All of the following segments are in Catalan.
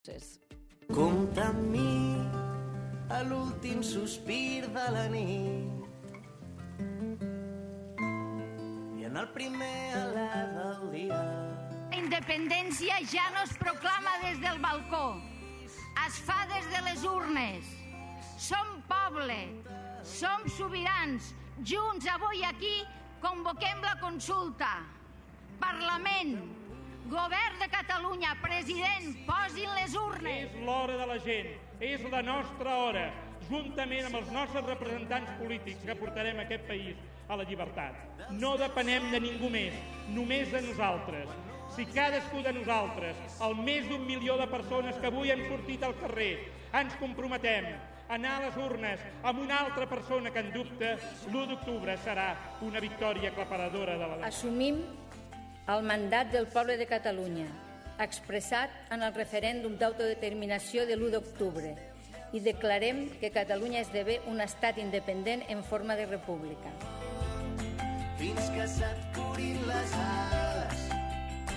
Compta amb mi a l'últim sospir de la nit i en el primer alè del dia. La independència ja no es proclama des del balcó, es fa des de les urnes. Som poble, som sobirans. Junts avui aquí convoquem la consulta. Parlament, Govern de Catalunya, president, posin les urnes. És l'hora de la gent, és la nostra hora, juntament amb els nostres representants polítics que portarem aquest país a la llibertat. No depenem de ningú més, només de nosaltres. Si cadascú de nosaltres, el més d'1 milió de persones que avui han sortit al carrer, ens comprometem a anar a les urnes amb una altra persona que en dubte, l'1 d'octubre serà una victòria aclaparadora de la... Assumim el mandat del poble de Catalunya, expressat en el referèndum d'autodeterminació de l'1 d'octubre, i declarem que Catalunya esdevé un estat independent en forma de república. Fins que se't curin les ales,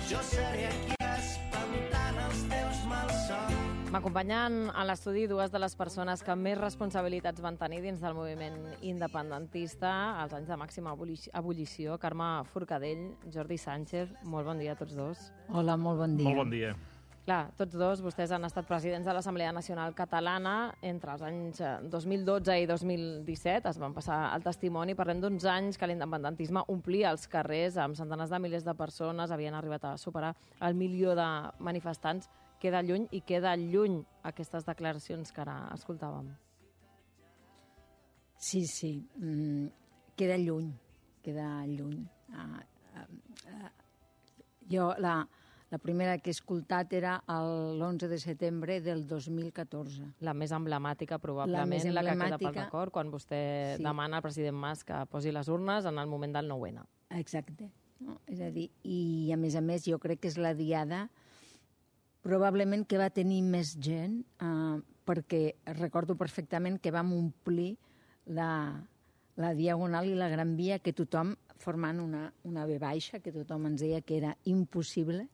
jo seré aquí espantant els teus malsons. M'acompanyen a l'estudi dues de les persones que més responsabilitats van tenir dins del moviment independentista als anys de màxima ebullició. Carme Forcadell, Jordi Sánchez, molt bon dia a tots dos. Hola, molt bon dia. Molt bon dia. Clar, tots dos, vostès han estat presidents de l'Assemblea Nacional Catalana entre els anys 2012 i 2017. Es van passar el testimoni. Parlem d'uns anys que l'independentisme omplia els carrers amb centenars de milers de persones. Havien arribat a superar el 1 milió de manifestants. Queda lluny i queda lluny aquestes declaracions que ara escoltàvem. Sí, queda lluny, Jo la primera que he escoltat era l'11 de setembre del 2014. La més emblemàtica, probablement, la que queda pel record, quan vostè demana al president Mas que posi les urnes en el moment del 9-N. Exacte. No? És a dir, i a més jo crec que és la diada probablement que va tenir més gent, perquè recordo perfectament que vam omplir la Diagonal i la Gran Via, que tothom, formant una V baixa, que tothom ens deia que era impossible,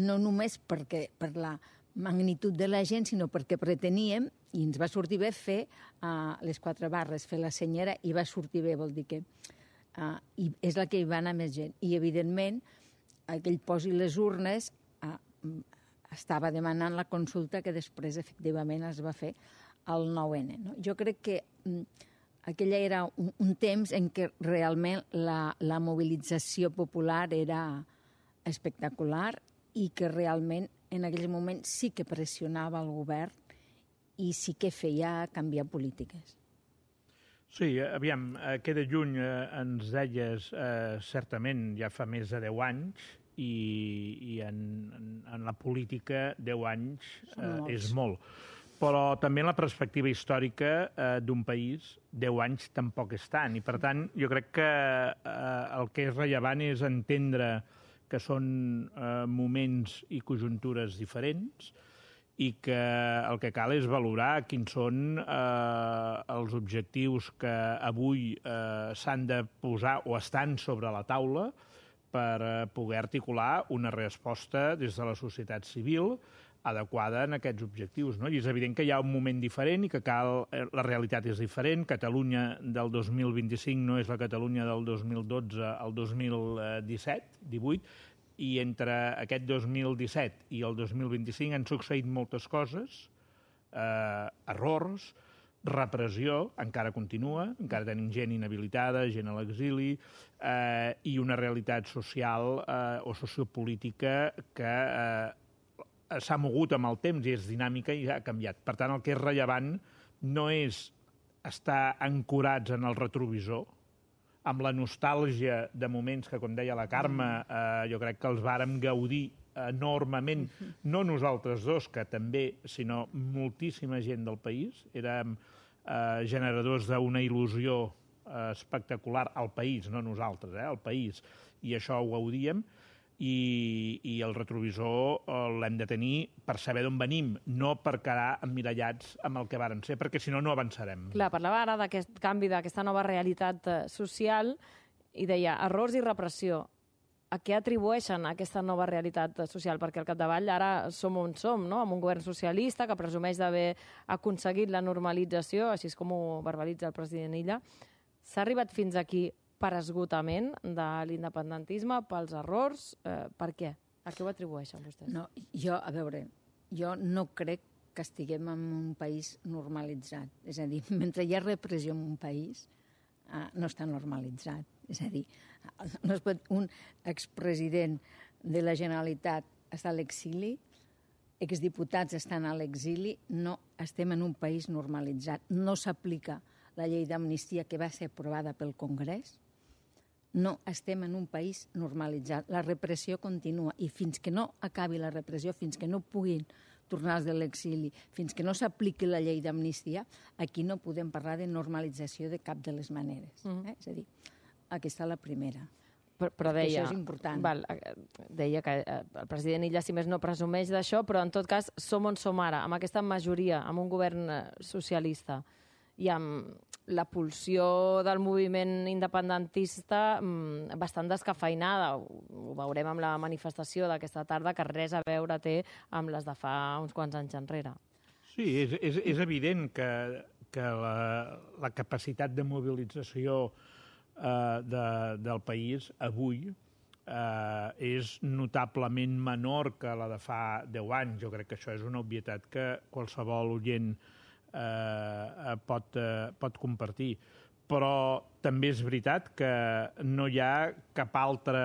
no només per la magnitud de la gent, sinó perquè preteníem, i ens va sortir bé, fer les 4 barres, fer la senyera, i va sortir bé, vol dir que... I és la que hi va anar més gent. I, evidentment, aquell posi les urnes... estava demanant la consulta que després, efectivament, es va fer el 9-N. No? Jo crec que aquella era un temps en què realment la mobilització popular era espectacular i que realment en aquell moment sí que pressionava el govern i sí que feia canviar polítiques. Sí, aviam, queda lluny, ens deies, certament ja fa més de 10 anys, i en la política 10 anys és molt. Però també en la perspectiva històrica d'un país 10 anys tampoc és tant. I per tant, jo crec que el que és rellevant és entendre que són moments i conjuntures diferents i que el que cal és valorar quins són els objectius que avui s'han de posar o estan sobre la taula per poder articular una resposta des de la societat civil adequada en aquests objectius. No? I és evident que hi ha un moment diferent i que la realitat és diferent. Catalunya del 2025 no és la Catalunya del 2012 al 2017-18, i entre aquest 2017 i el 2025 han succeït moltes coses, errors, repressió, encara continua, encara tenim gent inhabilitada, gent a l'exili, i una realitat social o sociopolítica que s'ha mogut amb el temps i és dinàmica i ha canviat. Per tant, el que és rellevant no és estar ancorats en el retrovisor, amb la nostàlgia de moments que, com deia la Carme, jo crec que els vàrem gaudir enormement, no nosaltres dos, que també, sinó moltíssima gent del país. Érem generadors d'una il·lusió espectacular al país, no nosaltres, al país, i això ho gaudíem, i el retrovisor l'hem de tenir per saber d'on venim, no per quedar emmirallats amb el que vàrem ser, perquè si no, no avançarem. Clar, parlava ara d'aquest canvi, d'aquesta nova realitat social, i deia errors i repressió. A què atribueixen aquesta nova realitat social? Perquè al capdavall ara som on som, no? Amb un govern socialista que presumeix d'haver aconseguit la normalització, així és com ho verbalitza el president Illa. S'ha arribat fins aquí per esgotament de l'independentisme, pels errors? Per què? A què ho atribueixen vostès? No, jo no crec que estiguem en un país normalitzat. És a dir, mentre hi ha repressió en un país, no està normalitzat. És a dir, un expresident de la Generalitat està a l'exili, exdiputats estan a l'exili, no estem en un país normalitzat. No s'aplica la llei d'amnistia que va ser aprovada pel Congrés. No estem en un país normalitzat. La repressió continua i fins que no acabi la repressió, fins que no puguin tornar de l'exili, fins que no s'apliqui la llei d'amnistia, aquí no podem parlar de normalització de cap de les maneres. És a dir, aquesta és la primera. Però deia, això és important. Deia que el president Illa, si més no, presumeix d'això, però en tot cas som on som ara, amb aquesta majoria, amb un govern socialista i amb la pulsió del moviment independentista bastant descafeinada. Ho veurem amb la manifestació d'aquesta tarda, que res a veure té amb les de fa uns quants anys enrere. Sí, és evident que la capacitat de mobilització del país avui és notablement menor que la de fa 10 anys. Jo crec que això és una obvietat que qualsevol oient pot compartir. Però també és veritat que no hi ha cap altre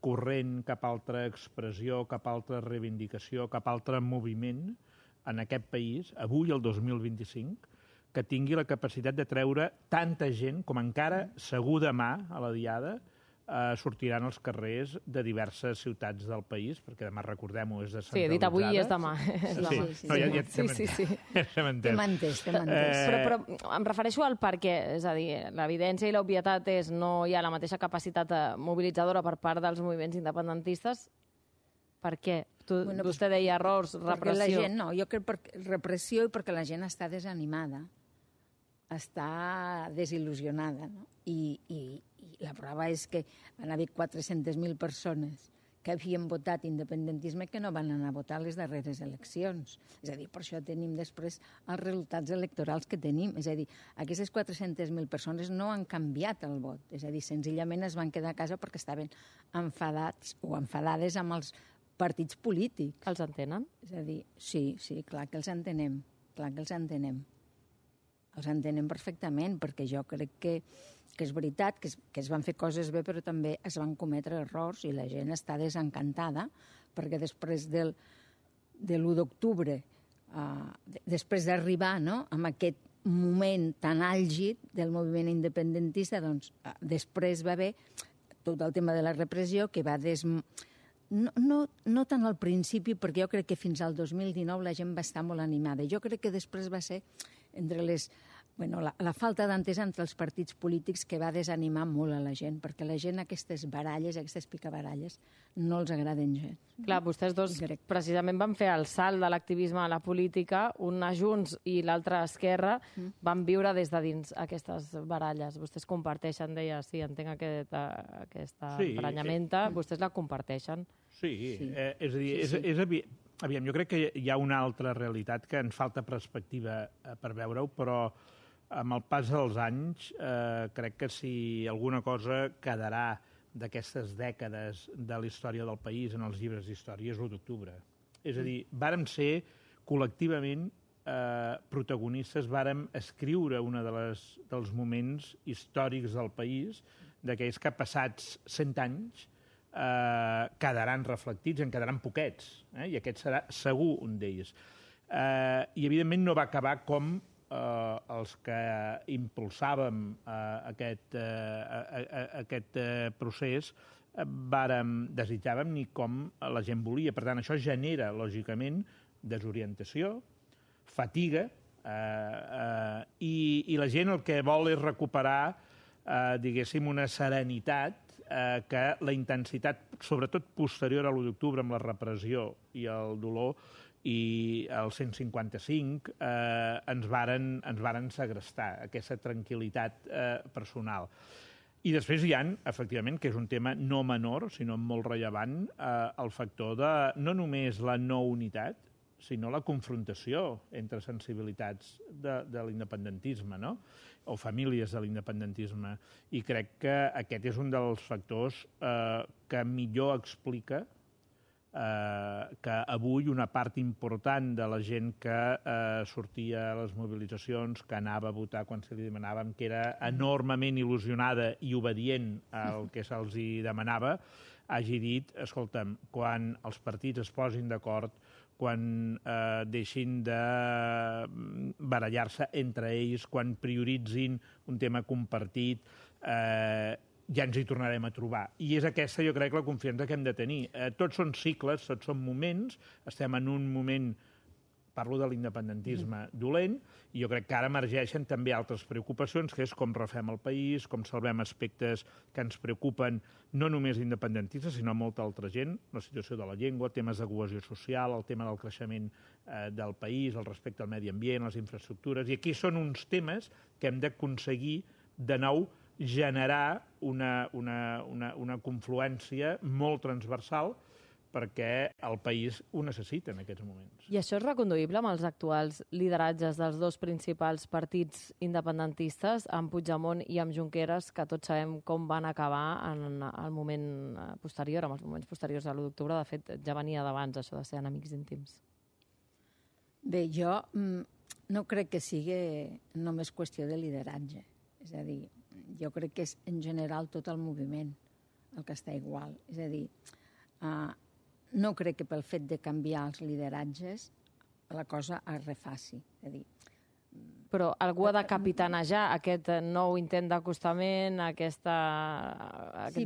corrent, cap altra expressió, cap altra reivindicació, cap altre moviment en aquest país, avui, el 2025, que tingui la capacitat de treure tanta gent com encara segur demà a la Diada sortiran als carrers de diverses ciutats del país, perquè demà, recordem-ho, és descentralitzada. Sí, dit avui és demà. T'he mantès. Però em refereixo al per què. És a dir, l'evidència i l'obvietat és no hi ha la mateixa capacitat mobilitzadora per part dels moviments independentistes. Per què? Vostè deia errors, repressió. La gent, no, jo crec repressió i perquè la gent està desanimada, està desil·lusionada, no? I la prova és que van haver 400.000 persones que havien votat independentisme que no van anar a votar a les darreres eleccions. És a dir, per això tenim després els resultats electorals que tenim. És a dir, aquestes 400.000 persones no han canviat el vot. És a dir, senzillament es van quedar a casa perquè estaven enfadats o enfadades amb els partits polítics. Els entenen? És a dir, sí, clar que els entenem. Clar que els entenem. Els entenem perfectament, perquè jo crec que és veritat que es van fer coses bé, però també es van cometre errors i la gent està desencantada, perquè després de l'1 d'octubre, després d'arribar amb aquest moment tan àlgid del moviment independentista, doncs després va haver tot el tema de la repressió que va no tant al principi, perquè jo crec que fins al 2019 la gent va estar molt animada. Jo crec que després va ser entre la falta d'entesa entre els partits polítics que va desanimar molt a la gent, perquè la gent aquestes baralles, aquestes picabaralles, no els agraden gens. Clar, vostès dos precisament van fer el salt de l'activisme a la política, un a Junts i l'altre a Esquerra, van viure des de dins aquestes baralles. Vostès comparteixen, deia, sí, entenc aquesta emprenyamenta, vostès la comparteixen. Sí, és a dir, aviam, jo crec que hi ha una altra realitat que ens falta perspectiva per veure-ho, però amb el pas dels anys crec que si alguna cosa quedarà d'aquestes dècades de la història del país en els llibres d'història és l'1 d'octubre. És a dir, vàrem ser col·lectivament protagonistes, vàrem escriure un dels moments històrics del país, d'aquells que passats 100 anys quedaran reflectits, en quedaran poquets, i aquest serà segur un d'ells. I, evidentment, no va acabar com els que impulsàvem aquest procés desitjàvem ni com la gent volia. Per tant, això genera, lògicament, desorientació, fatiga, i la gent el que vol és recuperar, diguéssim, una serenitat que la intensitat, sobretot posterior a l'1 d'octubre, amb la repressió i el dolor, i el 155 ens varen segrestar aquesta tranquil·litat personal. I després hi ha, efectivament, que és un tema no menor, sinó molt rellevant, el factor de no només la no unitat, sinó la confrontació entre sensibilitats de l'independentisme, no? O famílies de l'independentisme. I crec que aquest és un dels factors que millor explica que avui una part important de la gent que sortia a les mobilitzacions, que anava a votar quan se li demanàvem, que era enormement il·lusionada i obedient al que se'ls demanava, hagi dit, escolta'm, quan els partits es posin d'acord, quan deixin de barallar-se entre ells, quan prioritzin un tema compartit, ja ens hi tornarem a trobar. I és aquesta, jo crec, la confiança que hem de tenir. Tots són cicles, tots són moments, estem en un moment, parlo de l'independentisme dolent, i jo crec que ara emergeixen també altres preocupacions, que és com refem el país, com salvem aspectes que ens preocupen, no només independentistes, sinó molta altra gent, la situació de la llengua, temes de cohesió social, el tema del creixement del país, el respecte al medi ambient, les infraestructures, i aquí són uns temes que hem d'aconseguir de nou generar una confluència molt transversal perquè el país ho necessita en aquests moments. I això és reconduïble amb els actuals lideratges dels dos principals partits independentistes, amb Puigdemont i amb Junqueras, que tots sabem com van acabar en el moment posterior, en els moments posteriors a l'1 d'octubre. De fet, ja venia d'abans, això de ser enemics íntims. Bé, jo no crec que sigui només qüestió de lideratge. És a dir, jo crec que és en general tot el moviment el que està igual. És a dir, no crec que pel fet de canviar els lideratges la cosa es refaci. És a dir, però algú ha de capitanejar aquest nou intent d'acostament, aquest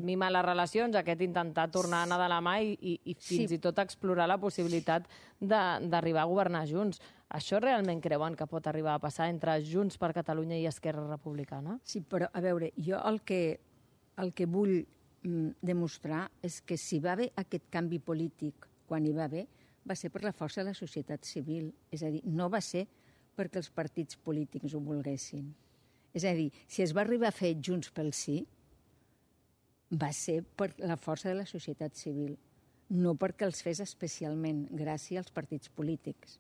mimar les relacions, aquest intentar tornar a anar de la mà i fins i tot explorar la possibilitat d'arribar a governar junts. Això realment creuen que pot arribar a passar entre Junts per Catalunya i Esquerra Republicana? Sí, però a veure, jo el que vull demostrar és que si va haver aquest canvi polític quan hi va haver, va ser per la força de la societat civil. És a dir, no va ser perquè els partits polítics ho volguessin. És a dir, si es va arribar a fer Junts pel Sí, va ser per la força de la societat civil, no perquè els fes especialment gràcia als partits polítics.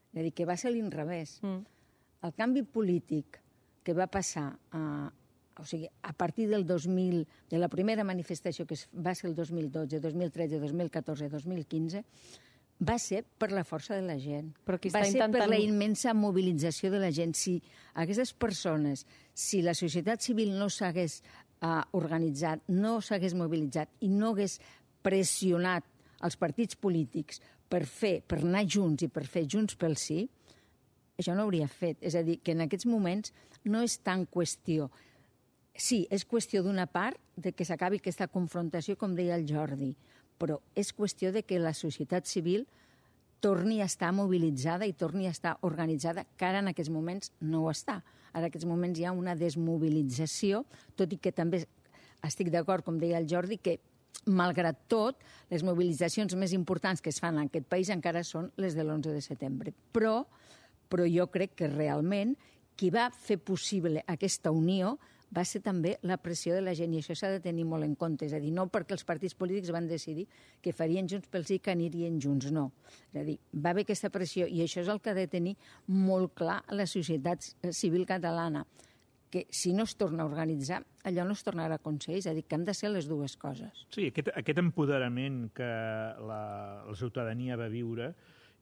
És a dir, que va ser l'inrevés. El canvi polític que va passar a partir del 2000, de la primera manifestació que va ser el 2012, 2013, 2014, 2015, va ser per la força de la gent. Va ser per la immensa mobilització de la gent. Si aquestes persones, si la societat civil no s'hagués organitzat, no s'hagués mobilitzat i no hagués pressionat els partits polítics per anar junts i per fer Junts pel Sí, això no hauria fet. És a dir, que en aquests moments no és tan qüestió. Sí, és qüestió d'una part de que s'acabi aquesta confrontació, com deia el Jordi, però és qüestió de que la societat civil torni a estar mobilitzada i torni a estar organitzada, que ara en aquests moments no ho està. Ara en aquests moments hi ha una desmobilització, tot i que també estic d'acord, com deia el Jordi, que malgrat tot, les mobilitzacions més importants que es fan en aquest país encara són les de l'11 de setembre. Però jo crec que realment qui va fer possible aquesta unió va ser també la pressió de la gent, i això s'ha de tenir molt en compte. És a dir, no perquè els partits polítics van decidir que farien Junts pel Sí, que anirien junts, no. És a dir, va haver aquesta pressió, i això és el que ha de tenir molt clar la societat civil catalana, que si no es torna a organitzar, allò no es tornarà a aconseguir. És a dir, que han de ser les dues coses. Sí, aquest empoderament que la ciutadania va viure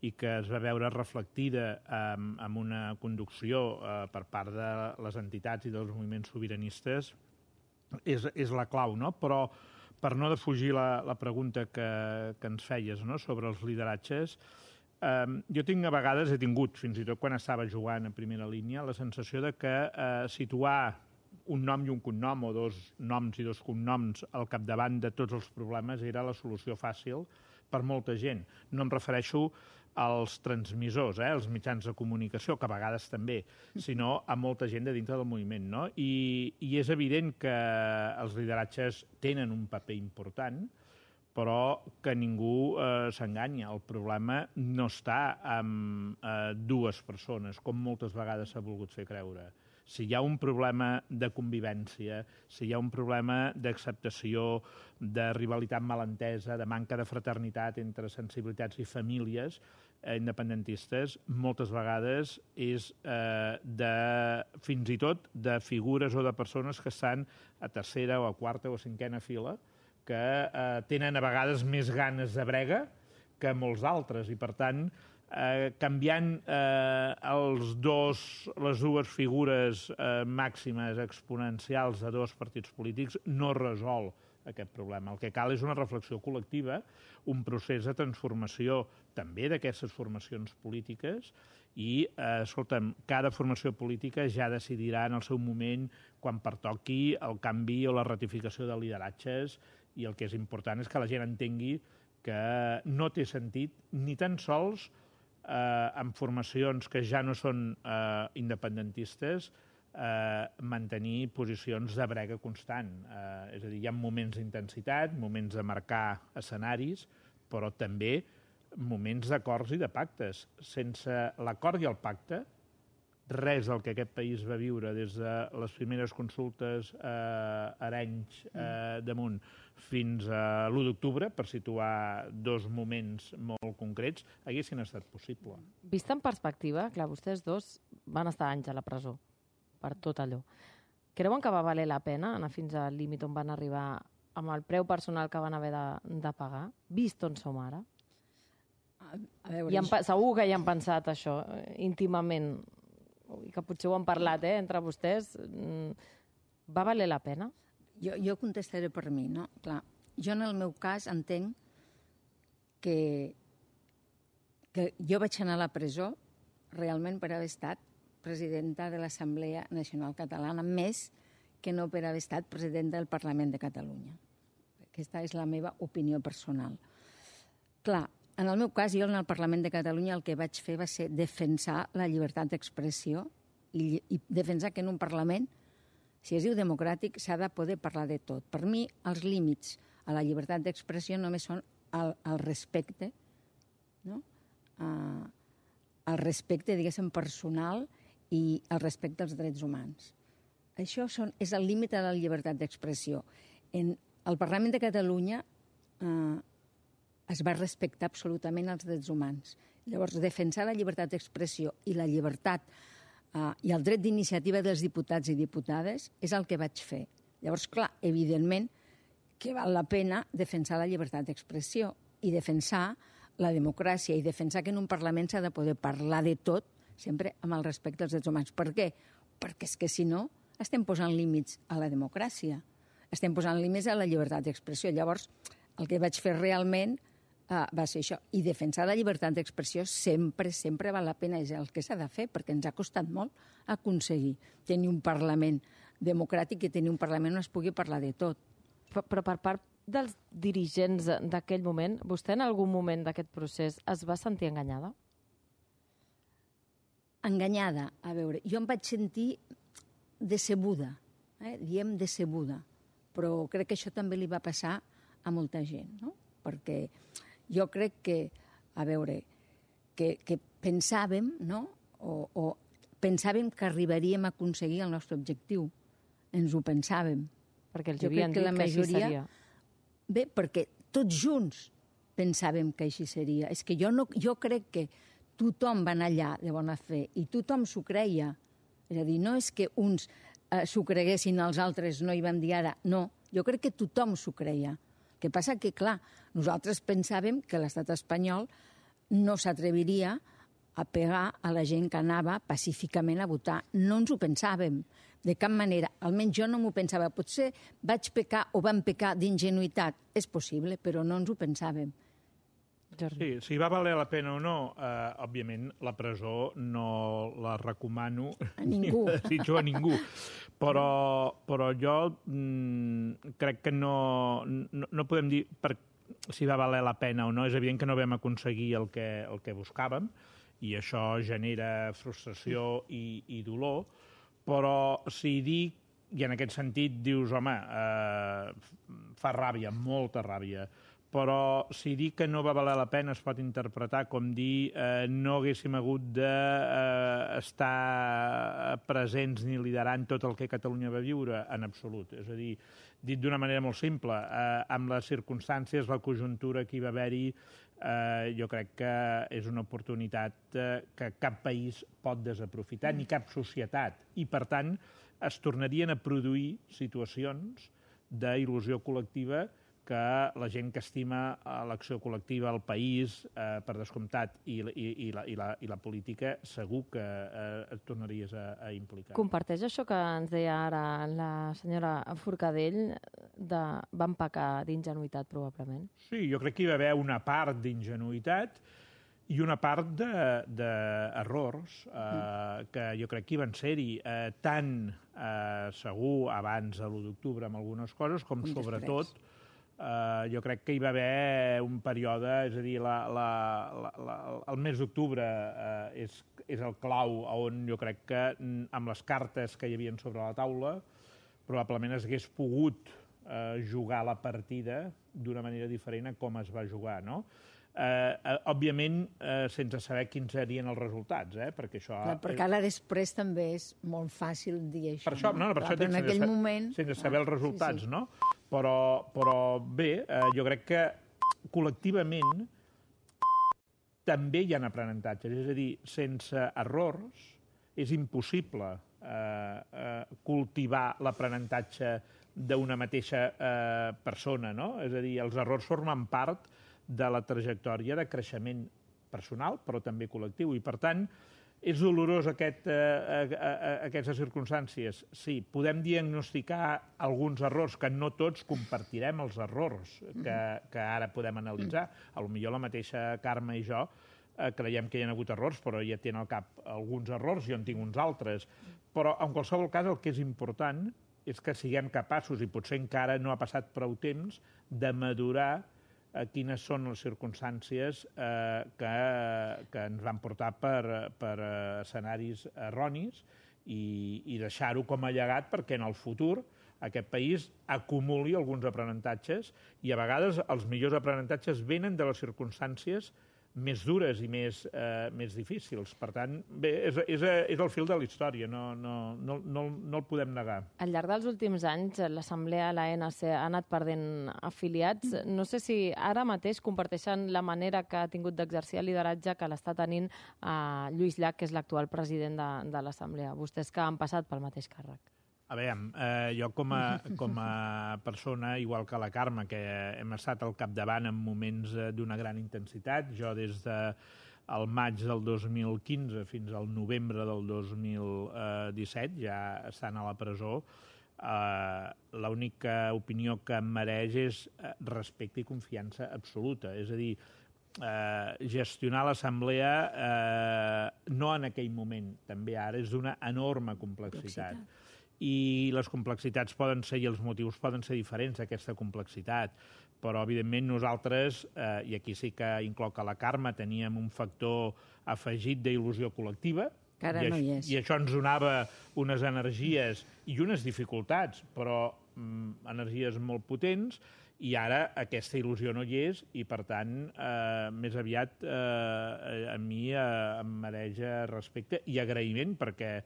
i que es va veure reflectida amb una conducció per part de les entitats i dels moviments sobiranistes és la clau, no? Però per no defugir la pregunta que ens feies, no?, sobre els lideratges, jo a vegades he tingut, fins i tot quan estava jugant a primera línia, la sensació de que situar un nom i un cognom, o dos noms i dos cognoms al capdavant de tots els problemes era la solució fàcil per molta gent. No em refereixo als transmissors, els mitjans de comunicació, que a vegades també, sinó a molta gent de dintre del moviment, no? I és evident que els lideratges tenen un paper important, però que ningú s'enganya. El problema no està amb dues persones, com moltes vegades s'ha volgut fer creure, Si hi ha un problema de convivència, si hi ha un problema d'acceptació, de rivalitat malentesa, de manca de fraternitat entre sensibilitats i famílies independentistes, moltes vegades és fins i tot de figures o de persones que estan a tercera o a quarta o a cinquena fila, que tenen a vegades més ganes de brega que molts altres, i per tant canviant les dues figures màximes exponencials de dos partits polítics no resol aquest problema. El que cal és una reflexió col·lectiva, un procés de transformació també d'aquestes formacions polítiques i, escolta'm, cada formació política ja decidirà en el seu moment quan pertoqui el canvi o la ratificació de lideratges, i el que és important és que la gent entengui que no té sentit ni tan sols en formacions que ja no són independentistes mantenir posicions de brega constant. És a dir, hi ha moments d'intensitat, moments de marcar escenaris, però també moments d'acords i de pactes. Sense l'acord i el pacte, res del que aquest país va viure des de les primeres consultes a Arenys damunt fins a l'1 d'octubre, per situar dos moments molt concrets, haguessin estat possible. Vist en perspectiva, clar, vostès dos van estar anys a la presó per tot allò. Creuen que va valer la pena anar fins al límit on van arribar amb el preu personal que van haver de pagar, vist on som ara? A veure, Segur que hi han pensat això íntimament, i que potser ho han parlat entre vostès. Va valer la pena? Jo contestaré per mi, no? Clar, jo en el meu cas entenc que jo vaig anar a la presó realment per haver estat presidenta de l'Assemblea Nacional Catalana, més que no per haver estat presidenta del Parlament de Catalunya. Aquesta és la meva opinió personal. Clar, en el meu cas, jo en el Parlament de Catalunya el que vaig fer va ser defensar la llibertat d'expressió i defensar que en un Parlament, si es diu democràtic, s'ha de poder parlar de tot. Per mi, els límits a la llibertat d'expressió només són el respecte, no? El respecte, diguéssim, personal i el respecte als drets humans. Això és el límit a la llibertat d'expressió. En el Parlament de Catalunya es va respectar absolutament els drets humans. Llavors, defensar la llibertat d'expressió i la llibertat i el dret d'iniciativa dels diputats i diputades és el que vaig fer. Llavors, clar, evidentment que val la pena defensar la llibertat d'expressió i defensar la democràcia i defensar que en un Parlament s'ha de poder parlar de tot, sempre amb el respecte als drets humans. Per què? Perquè és que si no estem posant límits a la democràcia, estem posant límits a la llibertat d'expressió. Llavors, el que vaig fer realment va ser això. I defensar la llibertat d'expressió sempre, sempre val la pena, és el que s'ha de fer, perquè ens ha costat molt aconseguir tenir un Parlament democràtic i tenir un Parlament on es pugui parlar de tot. Però per part dels dirigents d'aquell moment, vostè en algun moment d'aquest procés es va sentir enganyada? Enganyada, a veure, jo em vaig sentir decebuda, diem decebuda, però crec que això també li va passar a molta gent, no? Perquè jo crec que, a veure, que pensàvem, no? O pensàvem que arribaríem a aconseguir el nostre objectiu. Ens ho pensàvem. Perquè els havien dit que així seria. Bé, perquè tots junts pensàvem que així seria. És que jo crec que tothom va anar allà de bona fe i tothom s'ho creia. És a dir, no és que uns s'ho creguessin, els altres no hi van dir ara. No, jo crec que tothom s'ho creia. El que passa que, clar, nosaltres pensàvem que l'estat espanyol no s'atreviria a pegar a la gent que anava pacíficament a votar. No ens ho pensàvem, de cap manera. Almenys jo no m'ho pensava. Potser vaig pecar o vam pecar d'ingenuïtat. És possible, però no ens ho pensàvem. Sí, si va valer la pena o no, òbviament la presó no la recomano a ningú. Ni desitjo a ningú. Però jo crec que no podem dir si va valer la pena o no. És evident que no vam aconseguir el que buscàvem i això genera frustració i dolor, però si dic, i en aquest sentit dius, home, fa ràbia, molta ràbia, però si dic que no va valer la pena es pot interpretar com dir no haguéssim hagut d'estar presents ni liderant tot el que Catalunya va viure, en absolut. És a dir, dit d'una manera molt simple, amb les circumstàncies, la conjuntura que hi va haver-hi, jo crec que és una oportunitat que cap país pot desaprofitar, ni cap societat. I, per tant, es tornarien a produir situacions d'il·lusió col·lectiva que la gent que estima l'acció col·lectiva, el país, per descomptat, i la política, segur que et tornaries a implicar. Comparteix això que ens deia ara la senyora Forcadell, de van pecar d'ingenuïtat, probablement? Sí, jo crec que hi va haver una part d'ingenuïtat i una part d'errors que jo crec que hi van ser-hi tant segur abans de l'1 d'octubre amb algunes coses, com sobretot jo crec que hi va haver un període, és a dir, el mes d'octubre és el clau on jo crec que amb les cartes que hi havia sobre la taula probablement es hagués pogut jugar la partida d'una manera diferent a com es va jugar, no? Òbviament, sense saber quins serien els resultats, perquè això... Clar, perquè ara després també és molt fàcil dir això. Per això, no, per això en aquell moment... Sense saber els resultats, no? Però bé, jo crec que col·lectivament també hi ha aprenentatges. És a dir, sense errors és impossible cultivar l'aprenentatge d'una mateixa persona, no? És a dir, els errors formen part de la trajectòria de creixement personal, però també col·lectiu. I, per tant, és dolorós aquestes circumstàncies? Sí. Podem diagnosticar alguns errors, que no tots compartirem els errors que ara podem analitzar. Potser la mateixa Carme i jo creiem que hi ha hagut errors, però ja tenen al cap alguns errors, jo en tinc uns altres. Però, en qualsevol cas, el que és important és que siguem capaços, i potser encara no ha passat prou temps, de madurar quines són les circumstàncies que ens van portar per escenaris erronis i deixar-ho com a llegat perquè en el futur aquest país acumuli alguns aprenentatges i a vegades els millors aprenentatges venen de les circumstàncies més dures i més difícils. Per tant, bé, és el fil de la història, no el podem negar. Al llarg dels últims anys, l'Assemblea, l'ANC, ha anat perdent afiliats. No sé si ara mateix comparteixen la manera que ha tingut d'exercir el lideratge que l'està tenint Lluís Llach, que és l'actual president de l'Assemblea. Vostès que han passat pel mateix càrrec. A veure, jo com a persona, igual que la Carme, que hem estat al capdavant en moments d'una gran intensitat, jo des del maig del 2015 fins al novembre del 2017, ja estant a la presó, l'única opinió que em mereix és respecte i confiança absoluta. És a dir, gestionar l'Assemblea, no en aquell moment, també ara, és d'una enorme complexitat. I les complexitats poden ser, i els motius poden ser diferents d'aquesta complexitat, però evidentment nosaltres, i aquí sí que incloc a la Carme, teníem un factor afegit d'il·lusió col·lectiva, que ara no hi és. I això ens donava unes energies i unes dificultats, però energies molt potents, i ara aquesta il·lusió no hi és i, per tant, més aviat a mi em mereix respecte i agraïment perquè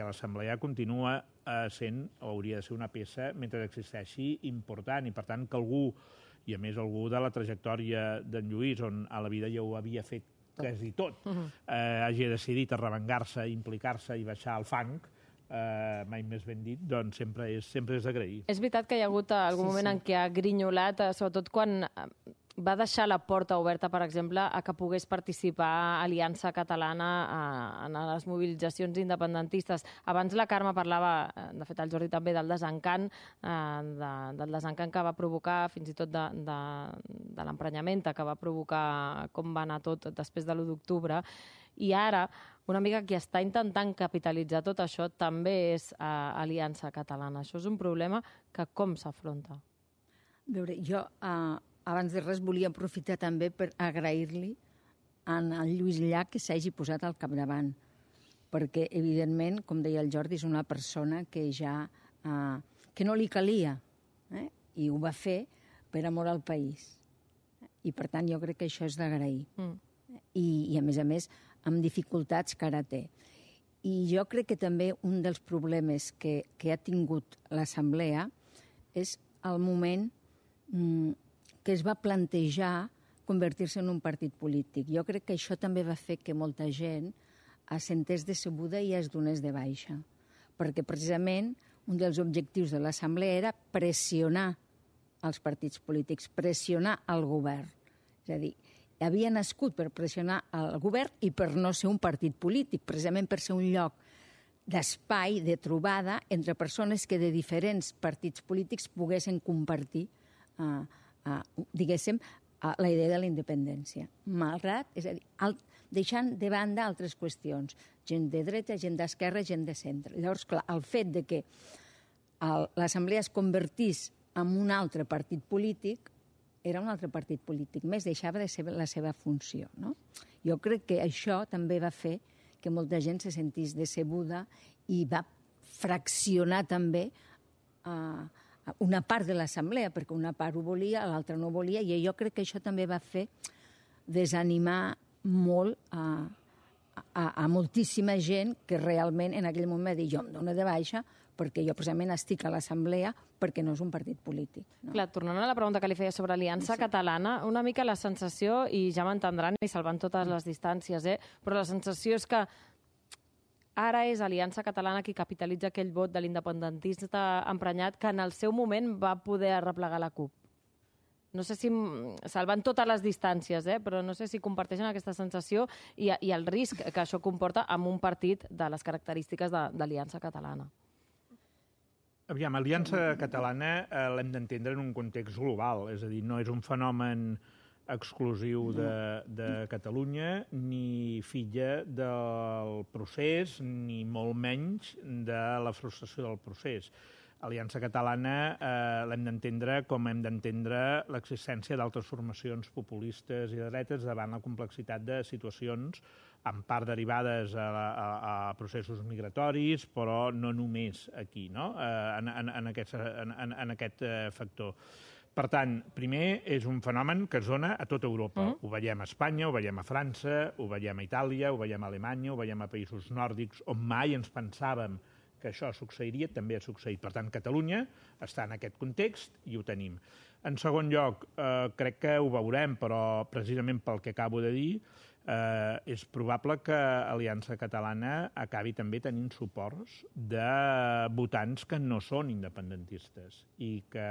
l'Assemblea continua sent, o hauria de ser una peça, mentre existeixi, important. I, per tant, que algú, i a més algú de la trajectòria d'en Lluís, on a la vida ja ho havia fet quasi tot, hagi decidit arremangar-se, implicar-se i baixar al fang, mai més ben dit, doncs sempre és d'agrair. És veritat que hi ha hagut algun moment en què ha grinyolat, sobretot quan va deixar la porta oberta, per exemple, a que pogués participar Aliança Catalana en les mobilitzacions independentistes. Abans la Carme parlava, de fet el Jordi també, del desencant que va provocar, fins i tot de l'emprenyament que va provocar com va anar tot després de l'1 d'octubre. I ara, una amiga que està intentant capitalitzar tot això també és Aliança Catalana. Això és un problema que com s'afronta? A veure, jo abans de res volia aprofitar també per agrair-li al Lluís Llach que s'hagi posat al capdavant, perquè evidentment, com deia el Jordi, és una persona que ja que no li calia, i ho va fer per amor al país. I, per tant, jo crec que això és d'agrair. I, a més, amb dificultats que ara té. I jo crec que també un dels problemes que ha tingut l'Assemblea és el moment que es va plantejar convertir-se en un partit polític. Jo crec que això també va fer que molta gent es sentés decebuda i es donés de baixa. Perquè, precisament, un dels objectius de l'Assemblea era pressionar els partits polítics, pressionar el govern. És a dir, havia nascut per pressionar el govern i per no ser un partit polític, precisament per ser un lloc d'espai, de trobada entre persones que de diferents partits polítics poguessin compartir, diguéssim, la idea de la independència. Malgrat, és a dir, deixant de banda altres qüestions. Gent de dreta, gent d'esquerra, gent de centre. Llavors, clar, el fet de que l'Assemblea es convertís en un altre partit polític era un altre partit polític més, deixava de ser la seva funció. No? Jo crec que això també va fer que molta gent se sentís decebuda i va fraccionar també una part de l'Assemblea, perquè una part ho volia, l'altra no ho volia, i jo crec que això també va fer desanimar molt a moltíssima gent que realment en aquell moment va dir jo em dono de baixa perquè jo precisament estic a l'Assemblea perquè no és un partit polític. No? Clar, tornant a la pregunta que li feia sobre Aliança Catalana, una mica la sensació, i ja m'entendran i salvant totes les distàncies, però la sensació és que ara és Aliança Catalana qui capitalitza aquell vot de l'independentista emprenyat que en el seu moment va poder arreplegar la CUP. No sé si, salvant totes les distàncies, però no sé si comparteixen aquesta sensació i el risc que això comporta amb un partit de les característiques d'Aliança Catalana. Aviam, Aliança Catalana l'hem d'entendre en un context global, és a dir, no és un fenomen exclusiu de Catalunya, ni filla del procés, ni molt menys de la frustració del procés. Aliança Catalana l'hem d'entendre com hem d'entendre l'existència d'altres formacions populistes i de dretes davant la complexitat de situacions en part derivades a processos migratoris, però no només aquí, no? En aquest factor. Per tant, primer, és un fenomen que es dona a tota Europa. Ho veiem a Espanya, ho veiem a França, ho veiem a Itàlia, ho veiem a Alemanya, ho veiem a països nòrdics, on mai ens pensàvem que això succeiria, també ha succeït. Per tant, Catalunya està en aquest context i ho tenim. En segon lloc, crec que ho veurem, però precisament pel que acabo de dir, és probable que Aliança Catalana acabi també tenint suports de votants que no són independentistes i que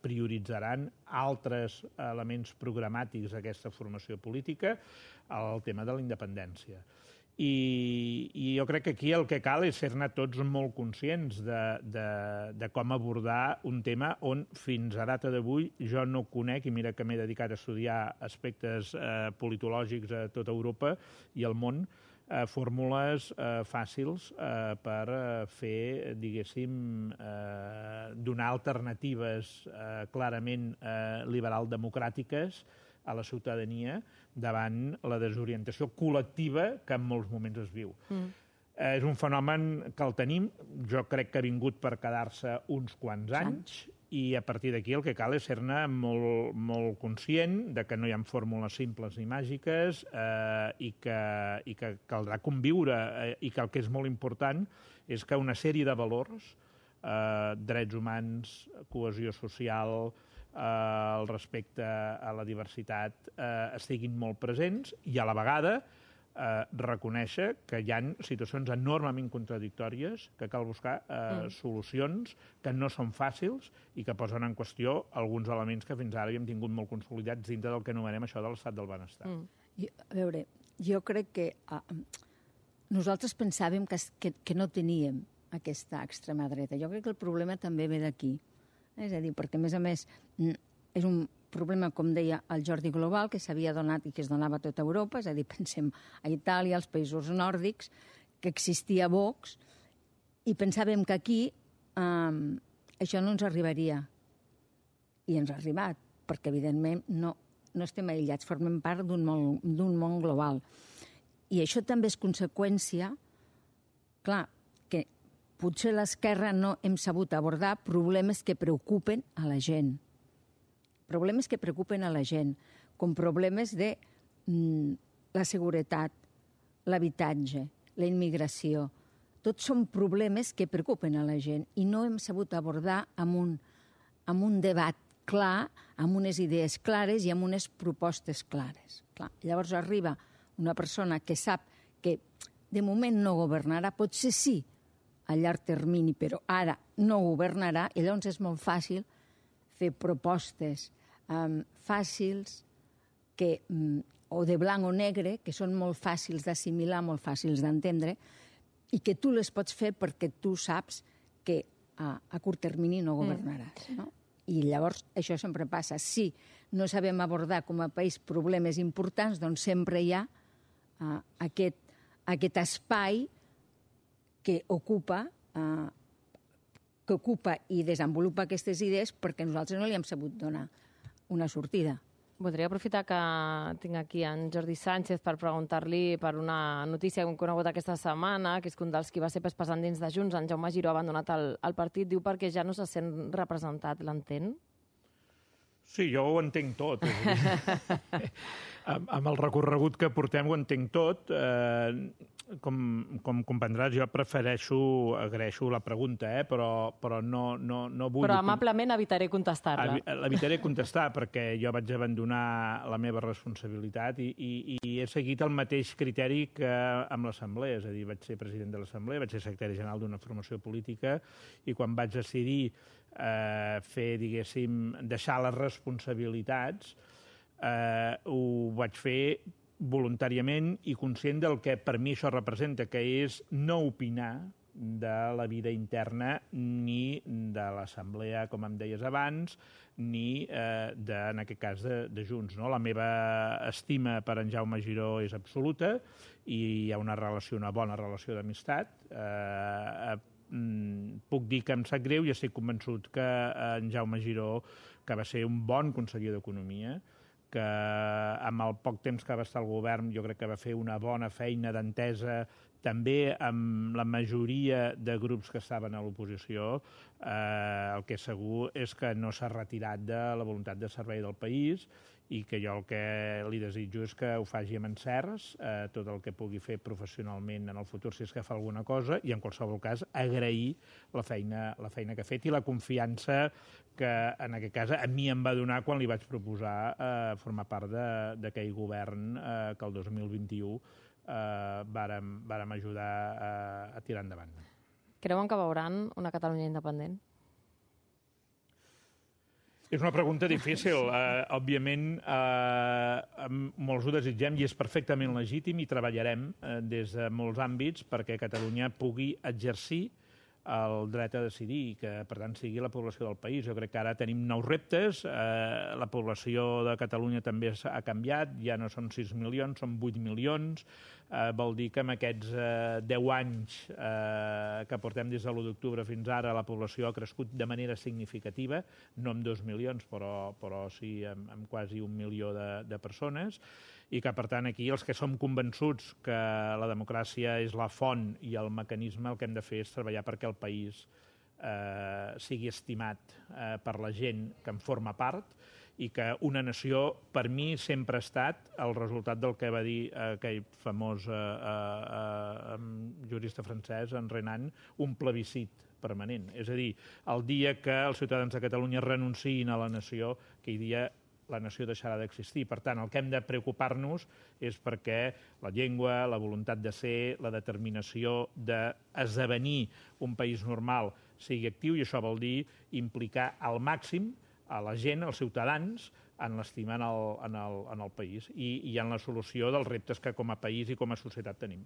prioritzaran altres elements programàtics d'aquesta formació política al tema de la independència. I jo crec que aquí el que cal és ser-ne tots molt conscients de com abordar un tema on fins a data d'avui jo no conec, i mira que m'he dedicat a estudiar aspectes politològics a tota Europa i al món, fórmules fàcils per fer, diguéssim, donar alternatives clarament liberal-democràtiques a la ciutadania davant la desorientació col·lectiva que en molts moments es viu. És un fenomen que el tenim, jo crec que ha vingut per quedar-se uns quants anys, i a partir d'aquí el que cal és ser-ne molt conscient de que no hi ha fórmules simples ni màgiques i que caldrà conviure i que el que és molt important és que una sèrie de valors, drets humans, cohesió social, el respecte a la diversitat estiguin molt presents i a la vegada reconèixer que hi ha situacions enormement contradictòries que cal buscar solucions que no són fàcils i que posen en qüestió alguns elements que fins ara havíem tingut molt consolidats dintre del que anomenem això de l'estat del benestar. A veure, jo crec que nosaltres pensàvem que no teníem aquesta extrema dreta. Jo crec que el problema també ve d'aquí. És a dir, perquè, a més, és un problema, com deia el Jordi, global, que s'havia donat i que es donava a tota Europa, és a dir, pensem a Itàlia, als països nòrdics, que existia Vox, i pensàvem que aquí això no ens arribaria. I ens ha arribat, perquè, evidentment, no estem aïllats, formem part d'un món global. I això també és conseqüència, clar, que potser l'esquerra no hem sabut abordar problemes que preocupen a la gent. problemes que preocupen a la gent, com problemes de la seguretat, l'habitatge, la immigració. Tots són problemes que preocupen a la gent i no hem sabut abordar amb un debat clar, amb unes idees clares i amb unes propostes clares. Clar. Llavors arriba una persona que sap que de moment no governarà, potser sí a llarg termini, però ara no governarà, i llavors és molt fàcil fer propostes fàcils o de blanc o negre, que són molt fàcils d'assimilar, molt fàcils d'entendre, i que tu les pots fer perquè tu saps que a curt termini no governaràs. No? I llavors això sempre passa. Si no sabem abordar com a país problemes importants, doncs sempre hi ha aquest espai que ocupa i desenvolupa aquestes idees perquè nosaltres no li hem sabut donar una sortida. Voldria aprofitar que tinc aquí en Jordi Sánchez per preguntar-li per una notícia que hem conegut aquesta setmana, que és que un dels qui va ser pes endins de Junts, en Jaume Giró, ha abandonat el partit. Diu perquè ja no se sent representat. L'entén? Sí, jo ho entenc tot. Amb el recorregut que portem ho entenc tot. Com comprendràs, jo agraeixo la pregunta, però no vull... Però amablement evitaré contestar-la. L'evitaré contestar perquè jo vaig abandonar la meva responsabilitat i he seguit el mateix criteri que amb l'Assemblea, és a dir, vaig ser president de l'Assemblea, vaig ser secretari general d'una formació política i quan vaig decidir deixar les responsabilitats, ho vaig fer voluntàriament i conscient del que per mi això representa, que és no opinar de la vida interna ni de l'Assemblea, com em deies abans, ni, en aquest cas, de Junts. La meva estima per en Jaume Giró és absoluta i hi ha una bona relació d'amistat. Puc dir que em sap greu i estic convençut que en Jaume Giró, que va ser un bon conseller d'Economia, que amb el poc temps que va estar al govern jo crec que va fer una bona feina d'entesa també amb la majoria de grups que estaven a l'oposició. El que és segur és que no s'ha retirat de la voluntat de servei del país i que jo el que li desitjo és que ho faci amb encerts, tot el que pugui fer professionalment en el futur si és que fa alguna cosa, i en qualsevol cas agrair la feina que ha fet i la confiança que en aquest cas a mi em va donar quan li vaig proposar formar part d'aquell govern que el 2021 vàrem ajudar a tirar endavant. Creuen que veuran una Catalunya independent? És una pregunta difícil. Òbviament, molts ho desitgem i és perfectament legítim i treballarem des de molts àmbits perquè Catalunya pugui exercir el dret a decidir i que, per tant, sigui la població del país. Jo crec que ara tenim nous reptes. La població de Catalunya també ha canviat. Ja no són 6 milions, són 8 milions. Vol dir que en aquests 10 anys que portem des de l'1 d'octubre fins ara la població ha crescut de manera significativa, no amb 2 milions, però sí amb quasi 1 milió de persones, i que, per tant, aquí els que som convençuts que la democràcia és la font i el mecanisme, el que hem de fer és treballar perquè el país sigui estimat per la gent que en forma part i que una nació, per mi, sempre ha estat el resultat del que va dir aquell famós jurista francès, en Renan, un plebiscit permanent. És a dir, el dia que els ciutadans de Catalunya renunciïn a la nació, aquell dia la nació deixarà d'existir. Per tant, el que hem de preocupar-nos és perquè la llengua, la voluntat de ser, la determinació d'esdevenir un país normal sigui actiu, i això vol dir implicar al màxim a la gent, als ciutadans, en l'estima en el país i en la solució dels reptes que com a país i com a societat tenim.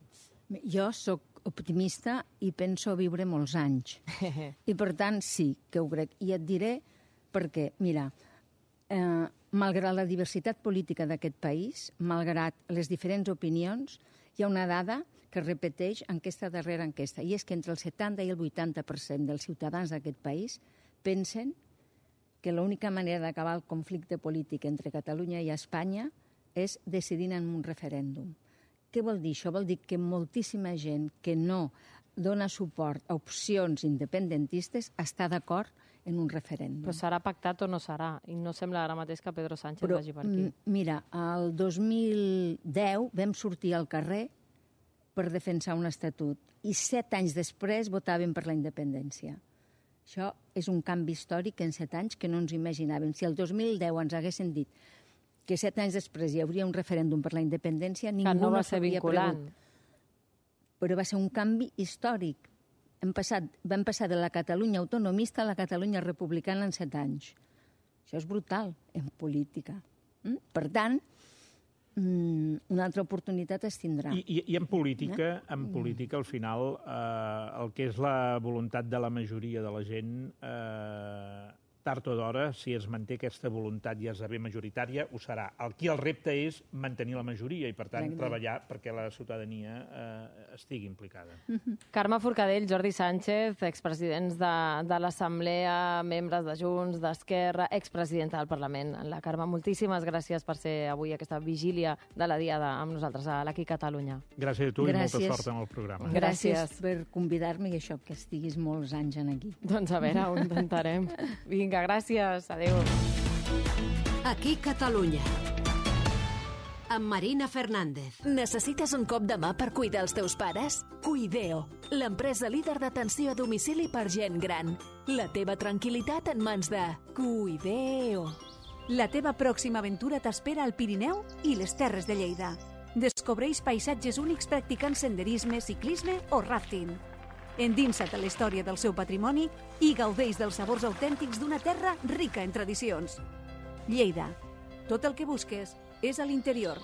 Jo sóc optimista i penso viure molts anys. I per tant sí que ho crec. I et diré perquè, mira, malgrat la diversitat política d'aquest país, malgrat les diferents opinions, hi ha una dada que es repeteix enquesta darrere enquesta, i és que entre el 70 i el 80% dels ciutadans d'aquest país pensen que l'única manera d'acabar el conflicte polític entre Catalunya i Espanya és decidint en un referèndum. Què vol dir això? Vol dir que moltíssima gent que no dona suport a opcions independentistes està d'acord en un referèndum. Però serà pactat o no serà? I no sembla ara mateix que Pedro Sánchez vagi per aquí. Mira, el 2010 vam sortir al carrer per defensar un estatut i 7 anys després votaven per la independència. Això és un canvi històric en 7 anys que no ens imaginàvem. Si el 2010 ens haguessin dit que 7 anys després hi hauria un referèndum per la independència, ningú no va no ser s'hauria vinculant. pregut. Però va ser un canvi històric. Vam passar de la Catalunya autonomista a la Catalunya republicana en 7 anys. Això és brutal en política. Per tant, una altra oportunitat es tindrà. I en política, al final, el que és la voluntat de la majoria de la gent, tard o d'hora, si es manté aquesta voluntat i esdevé majoritària, ho serà. Aquí el repte és mantenir la majoria i, per tant, treballar perquè la ciutadania estigui implicada. Carme Forcadell, Jordi Sánchez, expresidents de l'Assemblea, membres de Junts, d'Esquerra, expresidenta del Parlament. La Carme, moltíssimes gràcies per ser avui aquesta vigília de la Diada amb nosaltres a l'Aquí Catalunya. Gràcies a tu i molta sort en el programa. Gràcies per convidar-me i això, que estiguis molts anys aquí. Doncs a veure, ho intentarem. Vinga, gràcies. Adéu. Aquí Catalunya. Amb Marina Fernández. Necessites un cop de mà per cuidar els teus pares? Cuideo, l'empresa líder d'atenció a domicili per gent gran. La teva tranquil·litat en mans de Cuideo. La teva pròxima aventura t'espera al Pirineu i les Terres de Lleida. Descobreix paisatges únics practicant senderisme, ciclisme o rafting. Endinsa't a la història del seu patrimoni i gaudeix dels sabors autèntics d'una terra rica en tradicions. Lleida. Tot el que busques és a l'interior.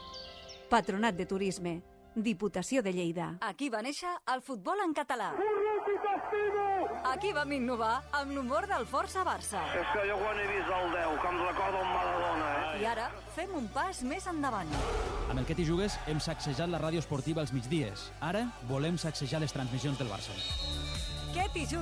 Patronat de Turisme. Diputació de Lleida. Aquí va néixer el futbol en català. Aquí vam innovar amb l'humor del Força Barça. És que jo quan he vist el 10, que em recorda un Maradona, I ara fem un pas més endavant. Amb el Que t'hi jugues hem sacsejat la ràdio esportiva als migdies. Ara volem sacsejar les transmissions del Barça. Que t'hi jugues.